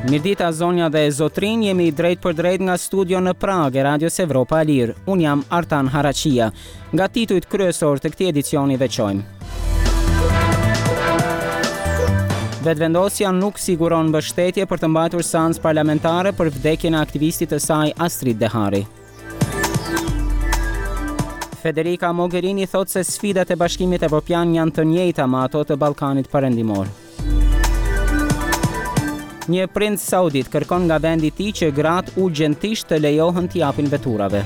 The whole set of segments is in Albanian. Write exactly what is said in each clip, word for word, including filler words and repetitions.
Mirëdita zonja dhe zotrinj, jemi drejt për drejt nga studio në Pragë e Radios Evropa e Lirë. Unë jam Artan Haraqia. Nga titujt kryesor të këtij edicioni veçojmë. Vetëvendosja nuk siguron mbështetje për të mbajtur seancë parlamentare për vdekjen e aktivistit të saj Astrit Dehari. Federica Mogherini thotë se sfidat e Bashkimit Evropian janë të njëjta me ato të Ballkanit Perëndimor. Një princ saudit kërkon nga vendi i tij që gratë urgjentisht të lejohen t'i japin veturave.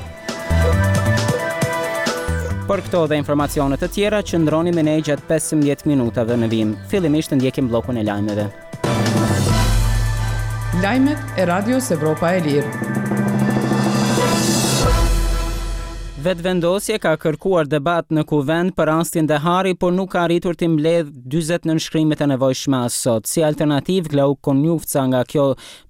Për këto dhe informacione të tjera, qëndroni me ne gjatë pesëmbëdhjetë minutave në vijim. Fillimisht ndjekim bllokun e lajmeve. Lajmet e Radios Evropa e Lirë. Vetëvendosje ka kërkuar debat në kuvend për rastin Dehari, por nuk ka arritur të mbledh dyzet nënshkrimet e nevojshme as sot. Si alternativë, Glauk Konjufca nga kjo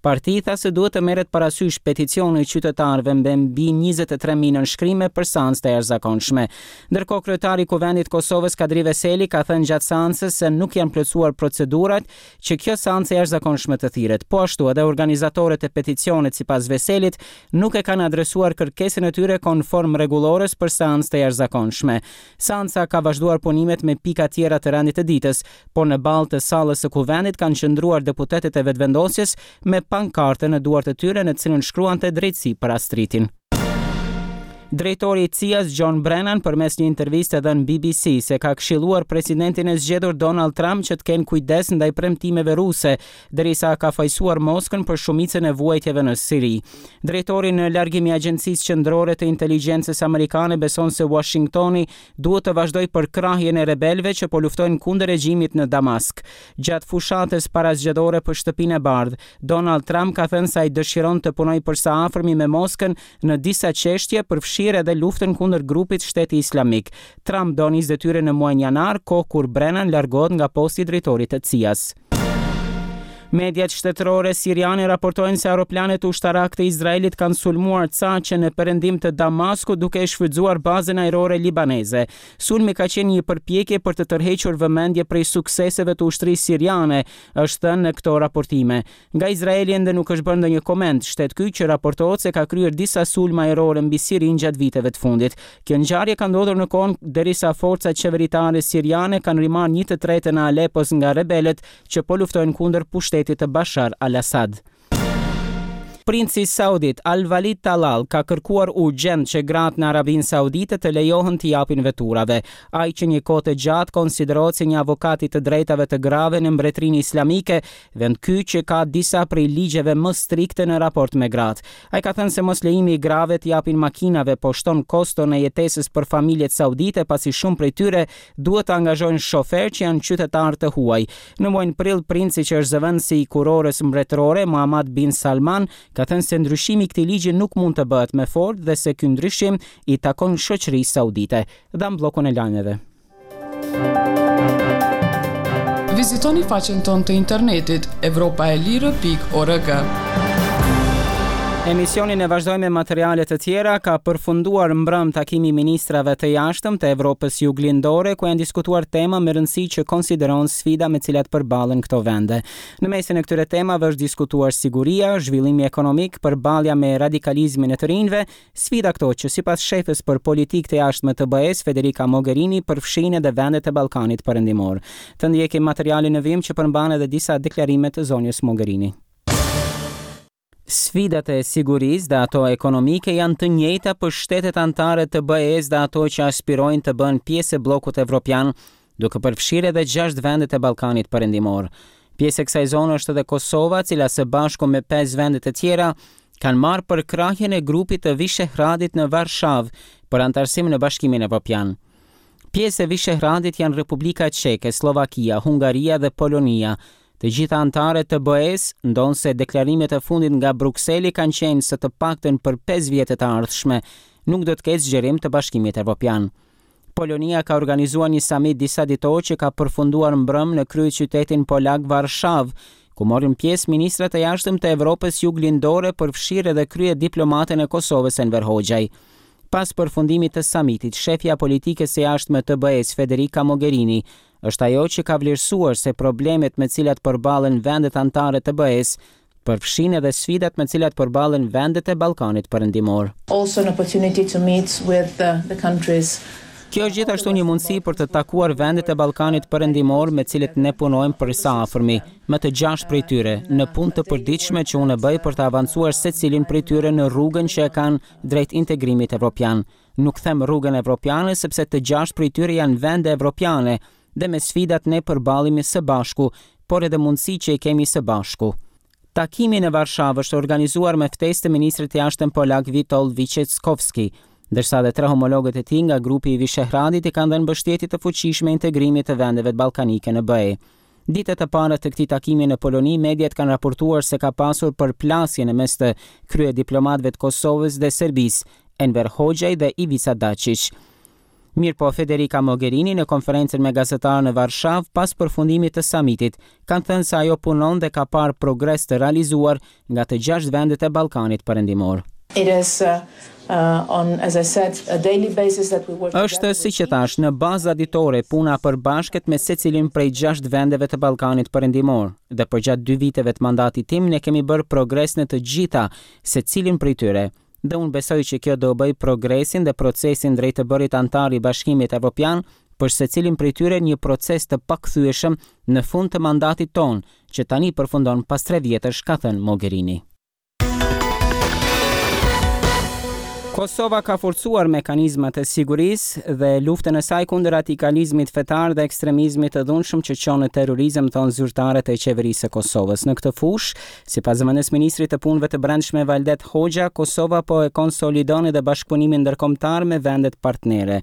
parti tha se duhet të merret parasysh peticioni i qytetarëve me mbi njëzet e tre mijë nënshkrime për seancë të jashtëzakonshme. Ndërkohë, kryetari i Kuvendit të Kosovës Kadri Veseli ka thënë gjatë seancës se nuk janë plotësuar procedurat që kjo seancë e jashtëzakonshme të thirret. Po ashtu edhe organizatorët e peticionit sipas Veselit nuk e kanë adresuar kërkesën e tyre konform rregullores për seancë të jashtëzakonshme. Seanca ka vazhduar punimet me pika tjera të rendit të ditës, por në ballë të sallës së kuvendit kanë qëndruar deputetët e Vetëvendosjes me pankarte në duart e tyre në të cilën shkruante drejtësi për Astritin. Drejtori i C I A-s John Brennan përmes një interviste dhënë B B C se ka këshilluar presidentin e zgjedhur Donald Trump që të kenë kujdes ndaj premtimeve ruse, derisa ka fajsuar Moskën për shumicën e vuajtjeve në Siri. Drejtori në largim i Agjencisë Qendrore të Inteligjencës Amerikane beson se Washingtoni duhet të vazhdojë përkrahjen e rebelëve që po luftojnë kundër regjimit në Damask. Gjatë fushatës parazgjedhore për Shtëpinë e Bardhë, Donald Trump ka thënë se ai dëshiron të punojë për së afërmi me Moskën në disa çështje, përfshirë edhe luftën kundër grupit Shteti Islamik. Trump do nis detyrën në muajin janar, kohë kur Brennan largohet nga posti i drejtorit të C I A-s. Mediat shtetërore siriane raportojnë se aeroplanët ushtarak të Izraelit kanë sulmuar caqe në perëndim të Damaskut duke e shfrytzuar bazën ajrore libaneze. Sulmi ka qenë një përpjekje për të tërhequr vëmendje prej sukseseve të ushtrisë siriane, është thënë në këto raportime. Nga Izraeli ende nuk është bërë ndonjë koment, shtet ky që raportohet se ka kryer disa sulme ajrore mbi Sirinë gjatë viteve të fundit. Kjo ngjarje ka ndodhur në kohën derisa forcat qeveritare siriane kanë rimarrë një të tretën e Alepos nga rebelët që po luftojnë kundër pushtetit të Bashar al-Assad. Princi Saudit Al-Walid Talal ka kërkuar urgjent që gratë në Arabinë Saudite të lejohen t'i japin veturave. Ai që një kohë të gjatë konsiderohet si një avokat i të drejtave të grave në Mbretërinë Islamike, vend ky që ka disa prej ligjeve më strikte në raport me gratë. Ai ka thënë se mos lejimi i grave t'i japin makinave po shton koston e jetesës për familjet saudite, pasi shumë prej tyre duhet të angazhojnë shoferë që janë qytetarë të huaj. Në muajin prill, princi që është zëvendësi i kurorës mbretërore Muhammad bin Salman ka thënë se ndryshimi i këtij ligji nuk mund të bëhet me forcë dhe se ky ndryshim i takon shoqërisë saudite. Dham bllokun e lajmeve. Vizitoni faqen tonë të internetit evropa e lirë pikë org. Emisionin e vazhdojmë me materiale të tjera. Ka përfunduar mbrëm takimi i ministrave të jashtëm të Evropës Juglindore, ku janë diskutuar tema me rëndësi që konsideron sfida me cilat përballen këto vende. Në mesin e këtyre temave është diskutuar siguria, zhvillimi ekonomik, përballja me radikalizmin e të rinjve, sfida këto që sipas shefës për politikë të jashtme të B E-s, Federica Mogherini, përfshinë edhe vendet e Ballkanit Perëndimor. Të ndjekim materialin në vijim që përmban edhe disa deklarime të zonjës Mogherini. Sfidat e sigurisë dhe ato ekonomike janë të njëjta për shtetet anëtare të B E-s dhe ato që aspirojnë të bëhen pjesë e bllokut evropian, duke përfshirë edhe gjashtë vendet e Ballkanit Perëndimor. Pjesë e kësaj zone është edhe Kosova, cila së bashku me pesë vende të tjera kanë marrë përkrahjen e grupit të Vishehradit në Varshavë për anëtarësim në Bashkimin Evropian. Pjesë e Vishehradit janë Republika Çeke, Sllovakia, Hungaria dhe Polonia. Të gjitha anëtarët të B E-s, ndonëse deklarimet e fundit nga Brukseli kanë qenë se të paktën për pesë vjet të ardhshme nuk do të ketë zgjerim të Bashkimit Evropian. Polonia ka organizuar një samit disa ditor që ka përfunduar mbrëm në kryeqytetin polak Varshavë, ku morën pjesë ministrat e jashtëm të Evropës Juglindore, përfshirë edhe kryediplomatin e Kosovës Enver Hoxhaj. Pas përfundimit të samitit, shefja e politikës së jashtme të B E-s Federica Mogherini është ajo që ka vlerësuar se problemet me cilat përballen vendet anëtare të B E-s Përfshin edhe sfidat me cilat përballen vendet e Ballkanit Perëndimor. Also an opportunity to meet with the, the countries. Kjo është gjithashtu një mundësi për të takuar vendet e Ballkanit Perëndimor me cilët ne punojmë për së afërmi, me të gjashtë prej tyre, në punë të përditshme që unë bëj për të avancuar secilin prej tyre në rrugën që e kanë drejt integrimit evropian. Nuk them rrugën evropiane sepse të gjashtë prej tyre janë vende evropiane dhe me sfidat ne përballemi së bashku, por edhe mundësi që i kemi së bashku. Takimi në Varshavë është organizuar me ftesë të ministrit të jashtëm polak Witold Wojciechowski, ndërsa dhe tre homologët e tij nga grupi i Vishehradit i kanë dhënë mbështetje të fuqishme integrimit të vendeve ballkanike në B E. Ditët e para të këtij takimi në Poloni, mediat kanë raportuar se ka pasur përplasje në mes të kryediplomatëve të Kosovës dhe Serbisë, Enver Hoxhaj dhe Ivica Dacic. Mirëpo, Federica Mogherini në konferencën me gazetarë në Varshavë pas përfundimit të samitit, kanë thënë se ajo punon dhe ka parë progres të realizuar nga të gjashtë vendet e Ballkanit Perëndimor. It is uh, uh, on, as I said, a daily basis that we work Është, si që thash, në baza ditore puna përbashkët me secilin prej gjashtë vendeve të Ballkanit Perëndimor dhe përgjatë dy viteve të mandatit tim ne kemi bërë progres në të gjitha secilin prej tyre. Dhe unë besoj që kjo do bëj progresin dhe procesin drejt të bërit anëtar i Bashkimit Evropian për secilin prej tyre një proces të pakthyeshëm në fund të mandatit ton, që tani përfundon pas tre vjetësh, ka thënë Mogherini. Kosova ka forcuar mekanizmat e sigurisë dhe luftën e saj kundër radikalizmit fetar dhe ekstremizmit të dhunshëm që çon në terrorizëm, thonë zyrtarët e qeverisë së Kosovës. Në këtë fushë, sipas zëvendës ministrit të Punëve të Brendshme Valdet Hoxha, Kosova po e konsolidon edhe bashkëpunimin ndërkombëtar me vendet partnere.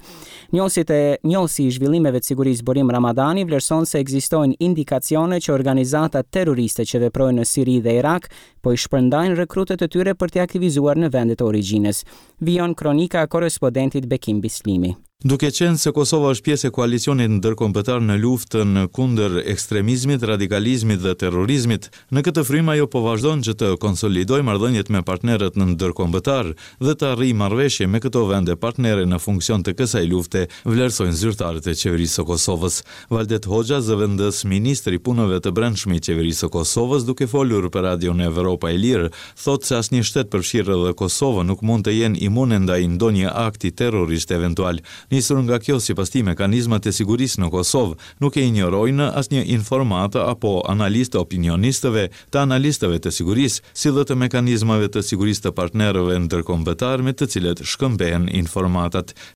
Njohësit e njohësi i zhvillimeve të sigurisë Burim Ramadani vlerëson se ekzistojnë indikacione që organizatat terroriste që veprojnë në Siri dhe Irak po i shpërndajnë rekrutët e tyre për t'i aktivizuar në vendet e origjinës. Vijon kronika e korespondentit Bekim Bislimi. Duke qenë se Kosova është pjesë e koalicionit ndërkombëtar në luftën kundër ekstremizmit, radikalizmit dhe terrorizmit, në këtë frymë ajo po vazhdon që të konsolidojë marrëdhëniet me partnerët ndërkombëtar dhe të arrijë marrëveshje me këto vende partnere në funksion të kësaj lufte, vlerësojnë zyrtarët e qeverisë së Kosovës. Valdet Hoxha, zëvendës ministri i Punëve të Brendshme i qeverisë së Kosovës, duke folur për Radion Evropa e Lirë, thotë se asnjë shtet përfshirë edhe Kosovën nuk mund të jenë imune ndaj ndonjë akti terrorist eventual. Nisur nga kjo, sipas tij, mekanizmat e sigurisë në Kosovë nuk e injorojnë asnjë informatë apo analizë të opinionistëve, të analistëve të sigurisë, si dhe të mekanizmave të sigurisë të partnerëve ndërkombëtar me të cilët shkëmbehen informatat.